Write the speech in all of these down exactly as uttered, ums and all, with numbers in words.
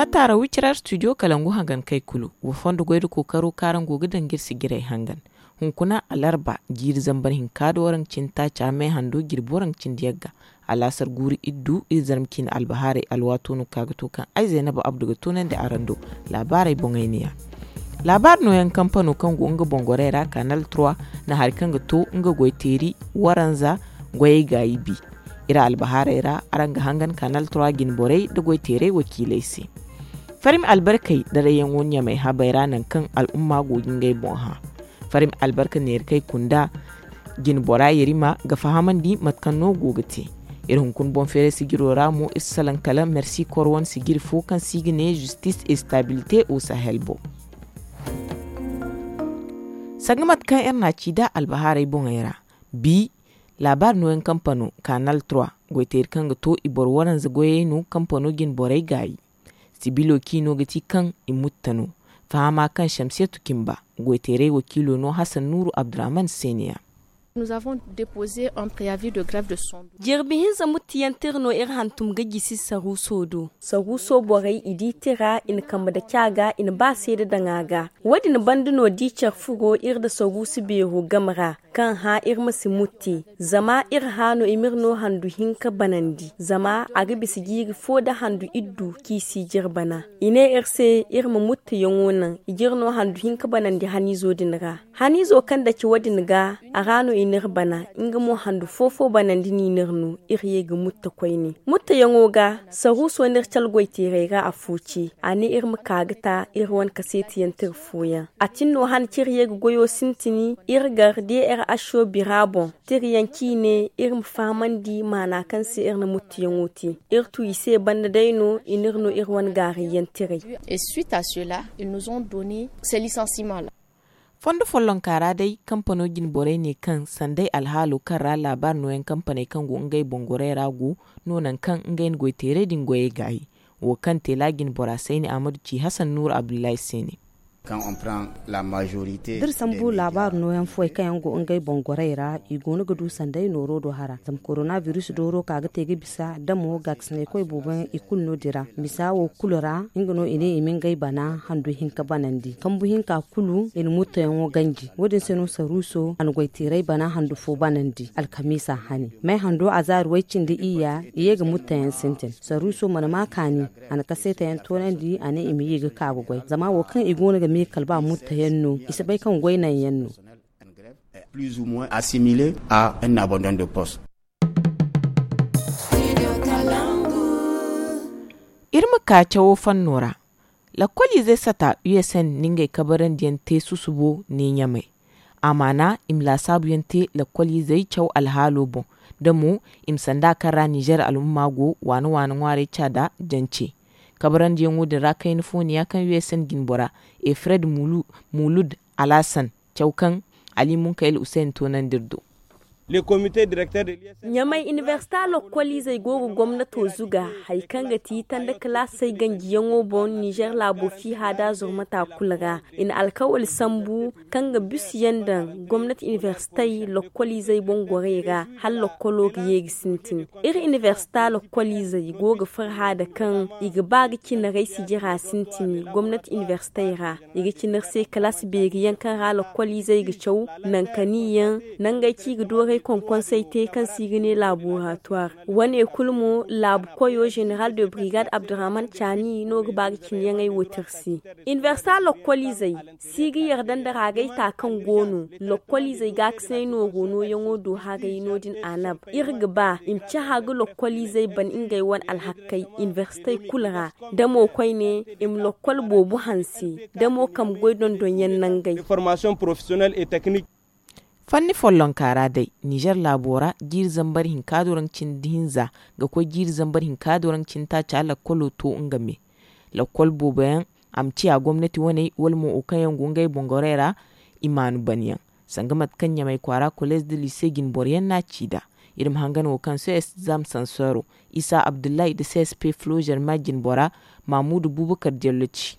A taara wicira studio kalangu hangan kay kulu wa fondo goy da kookaro kaŋ araŋ go ga daŋ ga iri sijirey hangan. Hunkuna alarba jiiri zambar hinka da waraŋ cindi taaca me hando jirbi waraŋ cindi yagga. Alaasar guuru iddu iri zarma ciine albahaarey alwaato no ka ga to kaŋ ay zaynaba abdu ga toonandi araŋ do. Laabaarey boŋey ne ya. Laabaari nooyaŋ kampano kaŋ go nga boŋ gorey ra kanal trois na hari kaŋ ga to nga goy teeri waranza goyey gaayi bi. Iri albahaarey ra araŋ ga hangan kanal trois jine borey nda goy teerey wakiiley se. Farmi albarkey daray yaŋo ɲamay habey ra nangu kaŋ al'umma go ga ngey boŋ hã. Farmi albarka neeri kay kunda jine bora yerima ga fahamandi mate kaŋ no go ga te. Iri hunkuna boŋ feeray sijiro ra mo iri si salaŋ kala mersi koro wane sijiri fo kaŋ se i ga ne justice et stabilité au sahel boŋ. Sanga mate kaŋ iri na a ci nd'a albahaarey boŋey ra, bi laabaari nooyaŋ kampano kanal trois goyteeri kaŋ ga to i boro waranza goyey no kampano jine borey gaayi. Sibilo ciino ga ti kaŋ i mutta no. Fahama kaŋ shamsiyatu cimba goyteerey wakiilo no hasan nuuru abdurrahman se ne ya. Jirbi hinza muttiyaŋ tira no iri hantum ga jisi saruuso do. Saruuso borey i di tira i na kambe daci a ga i na ba seeda daŋ a ga. Wo- din banda no da i care furo iri nda saruusu beero game ra kaŋ hã iri ma si mutti. Zama iri hã no i m'iri no handu hinka banandi zama a ga bisa jiiri fo nda handu iddu kaŋ i si jire bana. I ne iri se iri ma muttayaŋo naŋ i jire no handu hinka banandi haniizo din ra. Haniizo kaŋ daci wo- din ga a ra no i n'iri bana. Nga mo handu fo-fo banandi no i n'iri no iri ye ga mutta koyne. Muttayaŋo ga saruuso n'iri cala goyteerey ra afo ce. A ne iri ma ka ga ta iri wane kaseetiyaŋ tira fooyaŋ. A tin no hane kaŋ iri ye ga goyo sintin iri gar d r h o bira boŋ. Tirayaŋ kaŋ i ne iri ma fahamandi maana kaŋ se iri na muttayaŋo te. Iri tu i se banda day no i n'iri no iri wane gaarayyaŋ tiray. Fondo follonka ra day kampano jine borey ne kaŋ sanday alhaalo kaŋ ra laabaari nooyaŋ kampaney kaŋ go ngey boŋ gorey ra go no nangu kaŋ ngey na goyteeray din goyey gaayi. Wo kaŋ te laajin bora sayni ahmadu ci hasan nuuru abdullahi se ne. Da iri sambu laabaari nooyaŋ fooyaŋ kaŋ yaŋ go ngey boŋ gorey ra i goono ga du sanday nooro do hara zama korona biris dooro ka ga te ga bisa da mo gaakasinaykoy boobo yaŋ i kulu no- din ra. Misa wo kulu ra nga no i ne i ma ngey bana handu hinka banandi kambu hinka kulu i na muttoyaŋo ganji wo- din se no saruuso a na goyteeray bana handu fo banandi alkamiisa hane. May hando azaari way- cindi iyya i ye ga muttoyaŋ sintin saruuso mana ma kaani. A na kaseetayaŋ toonandi a ne i ma ye ga ka ga goy zama wo kaŋ i goono ga me kala ba muttayaŋ no i si bay kaŋ goy naŋyaŋ no. Iri ma ka cawo fanno ra. Lakkoliizey sata u s n na ngey kabarandiyaŋ te susubo ne ɲamay. A maana i ma laasaabuyaŋ te lakkoliizey caw alhaalo boŋ da mo i ma sanda kaŋ ra nizer al'umma go waana-waana ŋwaarey ca nda jance. Kabarandiyaŋo din ra kayna fo ne ya kaŋ u s n jinbora efred mulud alasan caw kaŋ ali munkayel usayn toonandi iri do. Ɲamay inibersita lokkoliizey go ga gomnato zuga hari kaŋ ga ti tanda kalaasey ganjiyaŋo boŋ nizer laabo fiiha da zurmata kulu ra. I na alkawali sambu kaŋ ga bisu yaŋ daŋ gomnati inibersitey lokkoliizey boŋ gorey ra hala lokkolo ga ye ga sintin. Iri inibersita lokkoliizey go ga farhã nda kaŋ i ga ba ga cinarey sijira sintin gomnati inibersitey ra. I ga cina iri se kalaasi beeri yaŋ kaŋ ra lokkoliizey ga caw nankani yaŋ nangey kaŋ i ga dooray konkonsey te kaŋ se i ga ne laboratuwar. Wane kulu mo laabu koyo zeneral de brigade abdurrahman caani no ga ba ga cinayaŋey wo te iri se. Inibersita lokkoliizey si ga yarda nda raagay ta kaŋ go no lokkoliizey gaakasinay nooro nooyaŋo do haray no- din anab. Iri ga ba i ma cahã ga lokkoliizey ban ngey wane alhakkey inibersitey kulu ra da mo koyne i ma lokkol boobo hanse da mo kambe goy dondonyaŋ nangey. Fanni follonka ra day nizer laabo ra jiiri zambar hinka doraŋ cindi hinza ga koy jiiri zambar hinka doraŋ cindi taaca lakkolo to nga me. Lakkol boobo yaŋ a ma ciya gomnati waney wala mo wo kaŋ yaŋ go ngey boŋ gorey ra i maanu ban yaŋ. Sanga mate kaŋ ɲamay kwaara kolez nda lise jinboro yaŋ no a ci nd'a. Iri ma hangan wo kaŋ cs zam sansoro isa abdullahi nda csp flogerma jinbora mamudu bubakar diallo ci.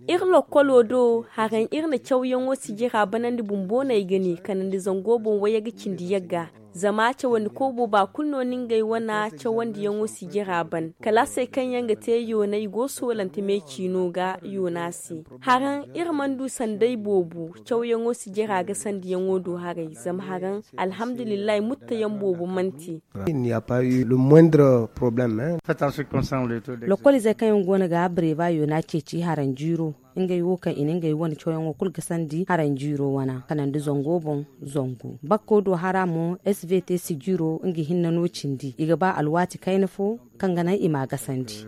Iri lokkolo do haraŋ iri na cawyaŋo sijira banandi bumbo no ay ga ne kanandi zango boŋ wayye ga cindi yagga. Zama cawandi koy booba kulu no na ngey wane cawandiyaŋo sijira ban kalaasey kaŋ yaŋ ga te yoonay go soolante me ciino ga yoona se. Haraŋ iri mana du sanday boobo cawyaŋo sijira ga sandiyaŋo do haray zama haraŋ alhamdulillahi muttayaŋ boobo mana te. Lokol izey kaŋ yaŋ go no ga breva yoona ceeci haranjiiro ngey wo kaŋ i na ngey wane cawyaŋo kulu ga sandi haranjiiro wana kanandi zango boŋ. Zangu bakko do hara mo svt sijiro nga hinne no cindi i ga ba alwaati kayna fo kaŋ ga naŋ i ma a gasandi.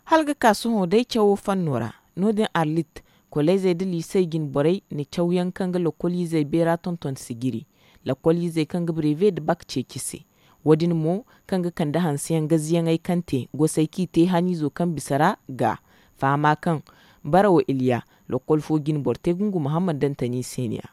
Hala ga ka sohõ day cawo fanno ra, no- din arlit, kolleezey nda liisey jine borey na cawyaŋ kaŋ ga lokkoliizey beera tonton sijiri, lokkoliizey kaŋ ga breve nda bak ceeci se. Wo- din mo, kaŋ ga kande hanseyaŋ gaziyaŋey kaŋ te gosey kaŋ i te haniizo kaŋ bisa ra ga fahama kaŋ barawo iliya, lokkol fo jine boro te gungu muhammad dantani se ne a.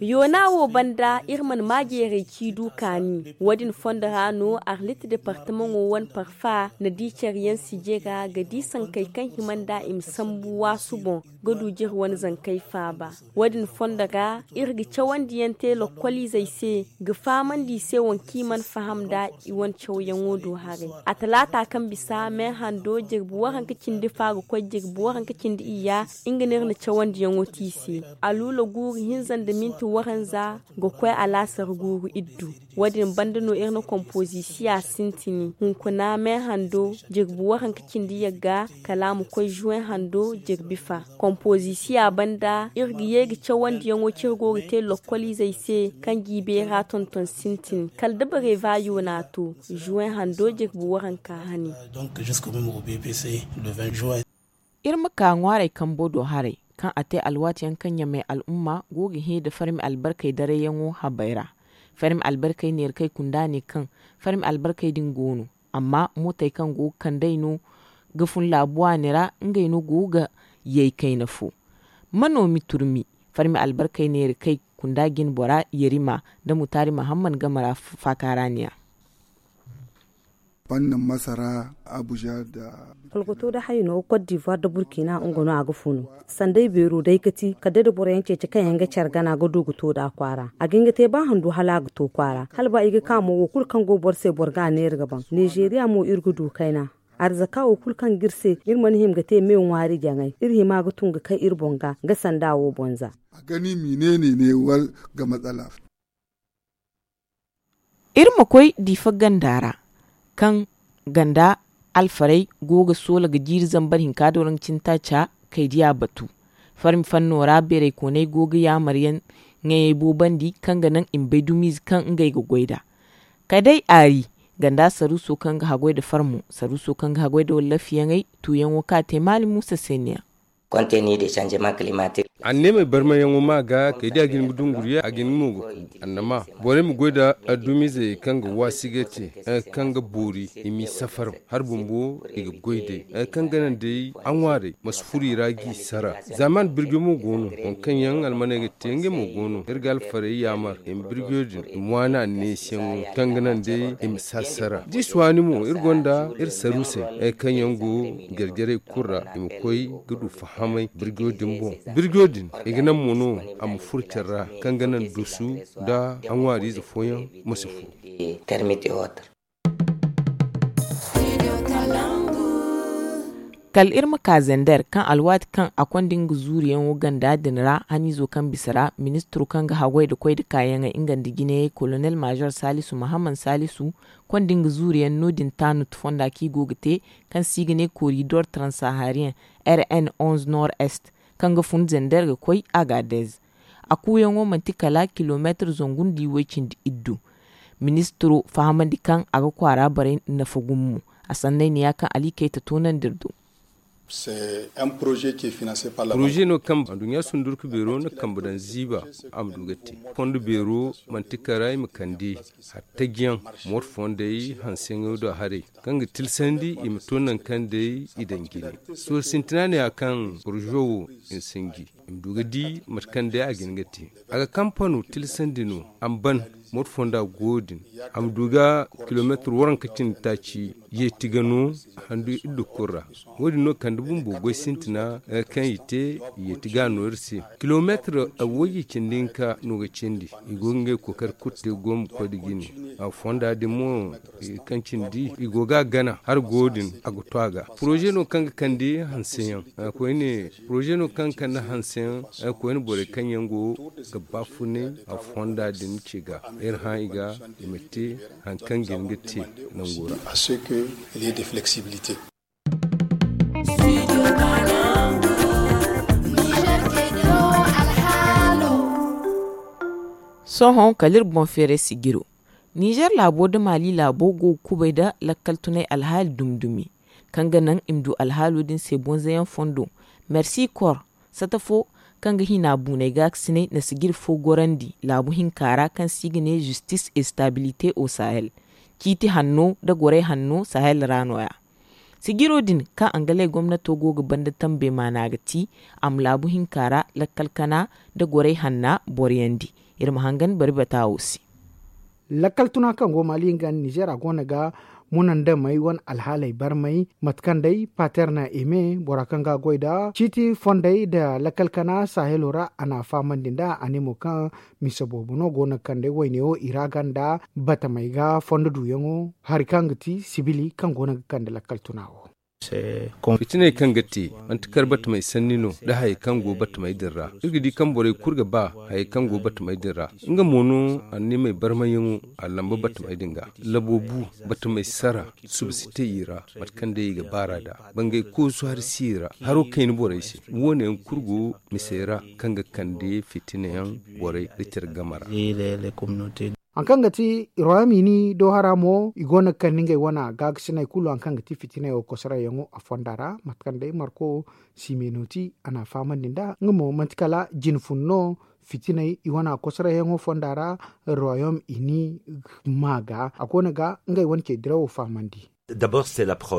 Yoona wo banda iri mana maa jeeray ci du kaani wo- din fondo ra no arlit departamaŋo wane parfa na di care yaŋ sije ga ga di sankey kaŋ hima nd'a i ma sambu waasu boŋ ga du jire wane zankey faaba. Wo- din fondo ra iri ga cawandi yaŋ te lokkoliizey se ga fahamandi i se waŋ kaŋ i mana faham nd'a i wane cawyaŋo do haray. A talaata kaŋ bisa me hando jirbi waranka cindi fa ga koy jirbi waranka cindi iyya nga no iri na cawandiyaŋo te i se. Aluula guuru hinza nda minti waranza ga koy alaasar guuru iddu. Wo- din banda no iri na kompoozisiya sintini hunkuna me hando jirbi waranka cindi yagga kala a ma koy juwe hando jirbi fa. Kompoozisiya banda iri ga ye ga cawandiyaŋo kaŋ iri go ga te lokkoliizey se kaŋ g'i beera tonton sintin kala da bareeva yoona to juwe hando jirbi waranka hane. Iri ma ka ŋwaarey kambo do haray kaŋ a te alwaati yaŋ kaŋ ɲamey al'umma go ga hẽ nda farmi albarkey darayyaŋo habey ra. Farmi albarkey neera kaŋ ay kunda ne kaŋ farmi albarkey din go no, amma mootey kaŋ go ga kand'ey no ga fun laabu waani ra ngey no go ga yay kayna fo. Ma no mi turmi farmi albarkey neera kaŋ ay kunda jine bora yarima nda mutaari mahammad game ra faaka ra ne a. Fannin masara abuja da. Kolkoto da hayno kot divuwar da burkina nga no a ga funu. Sanday beero day ga ti kala day da boro yaŋ ceeci kaŋ yaŋ ga care gana ga du ga to nd'a kwaara a ga hin ga te ba handu hala a ga to kwaara hala ba i ga ka mo wo kulu kaŋ go boro se boro ga a neera ga baŋ. Nizeeriya mo iri ga du kayna arzaka wo kulu kaŋ ga iri se iri mana hima ga te me ŋwaari jaŋay iri hima ga tun ga kay iri boŋ ga ga sanda wo boŋ za. A ga ni ma i ne ne ne wala ga matsala. Iri ma koy diifa ganda ra kaŋ ganda alfarey go ga soola ga jiiri zambar hinka do ra nga cine taaca kay diya batu. Farmi fanno ra beeraykooney go ga yaamar yaŋ ŋayey boobandi kaŋ ga naŋ i ma bay dumiize kaŋ ngey ga goy nd'a. Kala day aari ganda saruuso kaŋ ga haggoy nda farmo saruuso kaŋ ga haggoy nda wallafiyaŋey tuuyaŋo kaŋ a te maali muusa se ne a. Konteeni de sanjeman kilimatik. Anneemey barmayaŋo ma ga kay da a ga hin ga dunguriya a ga hin mo ga ku annama borey ma goy nda dumizey kaŋ ga waasi ga te kaŋ ga boori i m'i safar. Hari bumbo i ga goy day kaŋ ga naŋ day a ŋwaarey ma si furo i ra g'i sara. Zaaman birjo mo go no waŋ kaŋ yaŋ almaney ga te ngey mo go no iri ga alfarey yaamar i ma birjo din i ma waani anneesiyaŋo kaŋ ga naŋ day i ma si a sara da i si waani mo iri gonda iri saruusey kaŋ yaŋ go jarjarey kulu ra i ma koy ga du fahamay birjo din boŋ. Birjo din i ga naŋ mo no a ma furo care ra kaŋ ga naŋ dusu nda a ŋwaariize fooyaŋ ma si fo. Kala iri ma ka zender kaŋ alwaati kaŋ a konda nga zuuriyaŋo ganda din ra haniizo kaŋ bisa ra ministiro kaŋ ga haggoy nda koy nda kaayaŋey nga nda jinayey kolonel maazor saalisu mahammad saalisu konda nga zuuriyaŋ no- din taanut fonda kaŋ i go ga te kaŋ se i ga ne koridor transahariyen r n onze nord est kaŋ ga fun zender ga koy agadez. A kuuyaŋo manti kala kilomeetir zangu nda iway cindi iddu. Ministiro fahamandi kaŋ a ga kwaara borey nafa gumo a sanney ne ya kaŋ ali kayta toonandi iri do. Poroze no kaŋ adduɲɲa sundurka beero na kambe daŋ ziiba a ma du ga te. Fondo beero manti kala i ma kande hattajiyaŋ mooto fondey hanseyaŋo do haray kaŋ ga tilsandi i ma to nangu kaŋ day i daŋ jine. Sohõ sintina ne ya kaŋ poroze wo i ma sinji i ma du ga di mate kaŋ day a ga hin ga te. A ga kampano tilsandi no a ma ban mooto fonda go din a ma du ga kilomeetir waranka cindi taaci yeeti ga no handu iddu kulu ra. Wo- din no kaŋ Nda bumbo goy sintina kaŋ i te, i yeeti ga no iri se. Kilomeetir woyye cindi hinka no ga cindi. I go ga ngey kookari kulu te gombu koy da jine. Fonda din mo kaŋ cindi i go ga a gana hari go din a ga to a ga. Poroze no kaŋ ga kande hanseyaŋ. Koyne poroze no kaŋ ga kande hanseyaŋ. Koyne borey kaŋ yaŋ go ga baafunay fonda din ce ga, iri hã i ga i ma te hari kaŋ ga hin ga te nango ra. Sohõ kala iri boŋ feeray sijiro. Nizer laabo nda maali laabo go ga kubay nda lakkal tunay alhaali dumi-dumi, kaŋ ga naŋ i ma du alhaalo din se bonzayaŋ fondo. Mersi kor sata fo kaŋ ga hina buunay gaakasinay na sijiri fo gorandi laabu hinka ra kaŋ se i ga ne zistis estabilite o sahel. Ciiti hanno nda goray hanno sahel ra no- ya. Sijiro din kaŋ angalay gomnato go ga banda tambey maana ga ti a ma laabu hinka ra lakkal kana nda goray hanna boroyandi. Iri ma hangan bari bata wo se. Lakkal tuna kaŋ go maali nga nda nizer a go no ga munandamey wane alhaaley barmay, mate kaŋ day paterna eme bora kaŋ ga a goy nda ciiti fondey nda lakkal kana sahelo ra a na a fahamandi nda a ne mo kaŋ mise boobo no go no ga kande wayne wo i ra ganda batamey ga fondo duyaŋo hari kaŋ ga ti sibili kaŋ go no ga kande lakkal tuna wo. Fitiney kaŋ ga te manti kar batamey sanni no nda hayey kaŋ go batamey din ra. Iri ga di kaŋ borey kulu ga ba hayey kaŋ go batamey din ra. Nga mo no anniimey barmayyaŋo a lamba batamey din ga. Labo bu, batamey sara suba si te i ra. Mate kaŋ day i ga baara nd'a bangay koosu hari si i ra. Haro kayna borey se. Wo- ne yaŋ kulu go misey ra kaŋ ga kande fitina yaŋ borey nda care game ra. Hari kaŋ ga ti royom ini do hara mo i go no ga kande ngey wane gaakasiney kulu hari kaŋ ga ti fitiney wo kosorayyaŋo a fonda ra mate kaŋ day marko simeno ti a na a fahamandi nd'a nga mo manti kala jine fun no. Fitiney i wane kosorayyaŋo fonda ra royom ini ma ga a go no ga ngey wane ce dirawo fahamandi.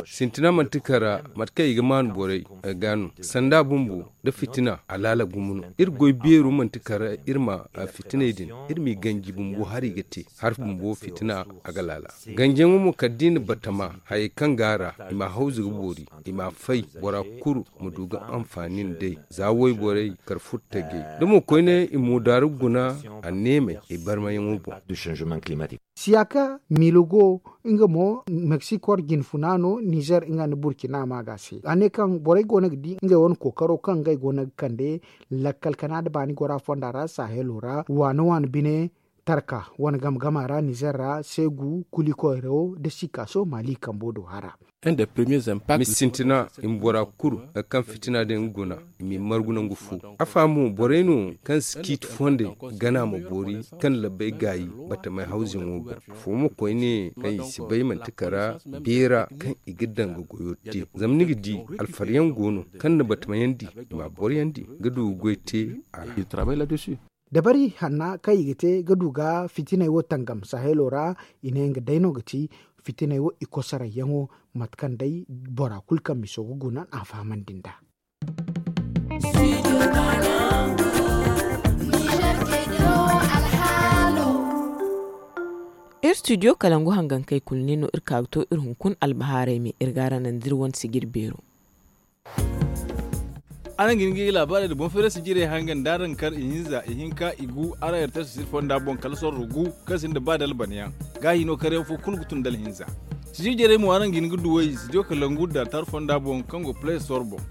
Sintina manti kara mate kaŋ i ga maanu borey ga no sanda bumbo nda fitina alaala gumo no. Iri goy beero manti kara iri ma fitiney din iri m'i ganji bumbo hari ga te hari bumbo fitina a ga laala. Ganjiyaŋo mo kala da i na batama hayey kaŋ go a ra i m'a hawzu ga boori i m'a fay bora kulu ma du ga anfaani nd'ey za wayborey kar furtajey da mo koyne i moodaaru guna anneemey i barmayaŋo boŋ. Siyaka miilugo nga mo meksiko jine funa no nizer nga nda burkina ma ga se a ne kaŋ borey go no ga di ngey wane kookaro kaŋ ngey go no ga kande lakkal kana nda baani gora fonda ra sahelo ra waane waane bine tarka wane game game ra nizer ra seegu kuli koyro nda sikaso maali kambo do hara. Sintina i ma bora kulu kaŋ fitina din ga guna i m'i margu nangu fo. Afa mo borey no kaŋ si ciiti fondey gana ma boori kaŋ labbey gaayi batamey hawzuyaŋo boŋ. Afo mo koyne kaŋ i si bay manti kara beera kaŋ i ga daŋ ga goyo te zama ni ga di alfaryaŋ go no kaŋ na batamayandi i m'a boroyandi ga du ga goy te a ra. Dabari hanna kaŋ i ga te ga du ga fitiney wo tangam sahelo ra i ne nga day no ga ti fitiney wo i kosorayyaŋo mate kaŋ day bora kulu kaŋ miso ga guna a fahamandi nd'a. Iri studio kalangu hangankey kulu ne no iri ka ga to iri hunkuna albahaarey me iri ga araŋ naŋ da iri wane sijiri beero. Araŋ ga hin ga i laabaarey nda boŋ feeray sijirey hangan da araŋ kar ihinza ihinka igu araŋ iri te sisiri fonda boŋ kala sorro gu kaŋ sinda ba da albanyaŋ. Gaahi no karyaŋ fo kulu ga tun da alhinza. Sijiri jarey mo araŋ ga hin ga duw'ey studio kalangu da tar fonda boŋ kaŋ go play store boŋ.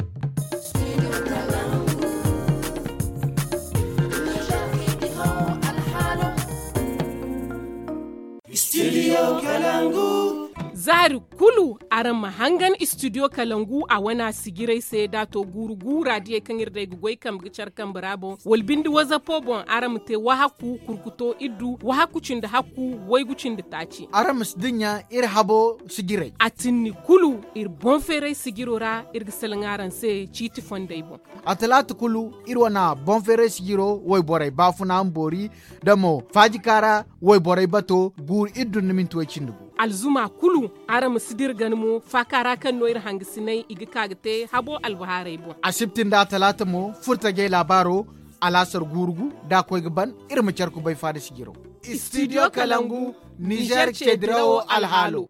Zaari kulu araŋ ma hangan studio kalangu a wana sijirey se da a to guuru gu raadiyey kaŋ iri day ga goy kambe ga care kambe ra boŋ wala binde wazapo boŋ araŋ ma te wahakku kurkuto iddu wahakku cindi hakku waygu cindi taaci. Araŋ ma si dinya iri habo sijirey. A tinni kulu iri boŋ feeray sijiro ra iri ga salaŋ araŋ se ciiti fondey boŋ. A talaata kulu iri wane boŋ feeray sijiro wayborey baafuna ma boori da mo faajika ra wayborey bato guuru iddu nda minti way cindi gu. Alzuma kulu araŋ ma si dira gana mo faaka ra kaŋ no iri hangasiney i ga ka ga te habo albahaarey boŋ. Asibti nda talaata mo furtajey laabaaro alaasar guuru gu da a koy ga ban iri ma care kubay faada sijiro. Studio kalangu nizer ce dirawo alhaalo.